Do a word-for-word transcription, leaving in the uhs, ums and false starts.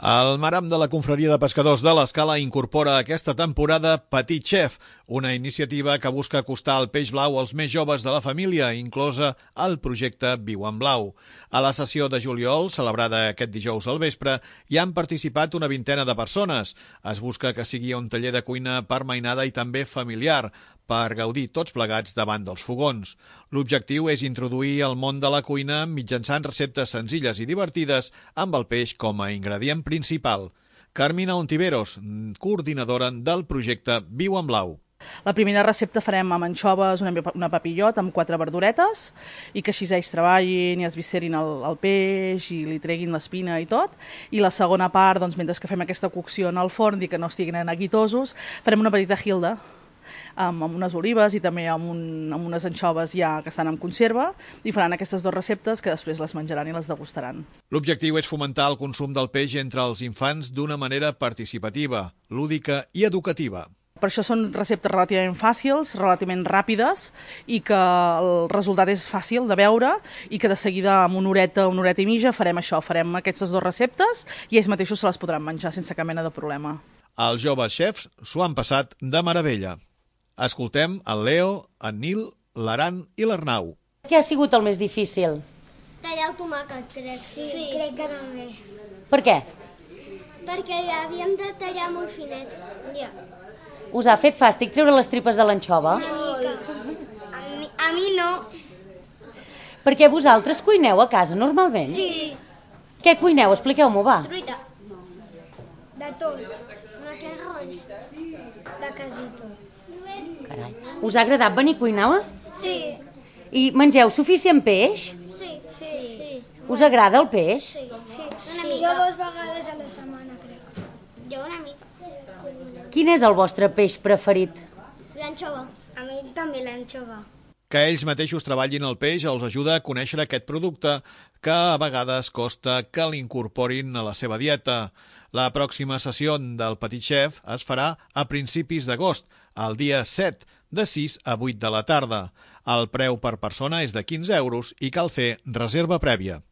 El Maram de la Confraria de Pescadors de l'Escala incorpora aquesta temporada Petit Chef, una iniciativa que busca acostar el peix blau als més joves de la família, inclosa el projecte Viu en Blau. A la sessió de juliol, celebrada aquest dijous al vespre, hi han participat una vintena de persones. Es busca que sigui un taller de cuina per mainada i també familiar, per gaudir tots plegats davant dels fogons. L'objectiu és introduir el món de la cuina mitjançant receptes senzilles i divertides amb el peix com a ingredient principal. Carmina Ontiveros, coordinadora del projecte Viu en Blau. La primera recepta farem amb anxoves, una, una papillot amb quatre verduretes i que així ells treballin i es viscerin el, el peix i li treguin l'espina i tot. I la segona part, doncs, mentre que fem aquesta cocció en el forn i que no estiguin neguitosos, farem una petita hilda amb, amb unes olives i també amb, un, amb unes anxoves ja que estan en conserva i faran aquestes dues receptes que després les menjaran i les degustaran. L'objectiu és fomentar el consum del peix entre els infants d'una manera participativa, lúdica i educativa. Per això són receptes relativament fàcils, relativament ràpides i que el resultat és fàcil de veure i que de seguida amb una horeta, una horeta i mitja farem això, farem aquestes dues receptes i ells mateixos se les podran menjar sense cap mena de problema. Els joves xefs s'ho han passat de meravella. Escoltem el Leo, en Nil, l'Aran i l'Arnau. Què ha sigut el més difícil? Tallar el tomàquet, crec. Sí, sí, crec que també. Per què? Perquè havíem de tallar molt finet. Ja. Us ha fet fàstic treure les tripes de l'anxova? Una mica. A mi, a mi no. Perquè vosaltres cuineu a casa normalment? Sí. Què cuineu? Expliqueu-m'ho, va. Truita. De tot. Macarrons. De casito. Carai. Us ha agradat venir a cuinar? Sí. I mengeu suficient peix? Sí, sí. sí. Us agrada el peix? Sí, sí. sí. Jo dues vegades a la setmana, crec. Jo una mica. Quin és el vostre peix preferit? L'anxova. A mi també l'anxova. Que ells mateixos treballin el peix els ajuda a conèixer aquest producte que a vegades costa que l'incorporin a la seva dieta. La pròxima sessió del Petit Chef es farà a principis d'agost, el dia set, de sis a vuit de la tarda. El preu per persona és de quinze euros i cal fer reserva prèvia.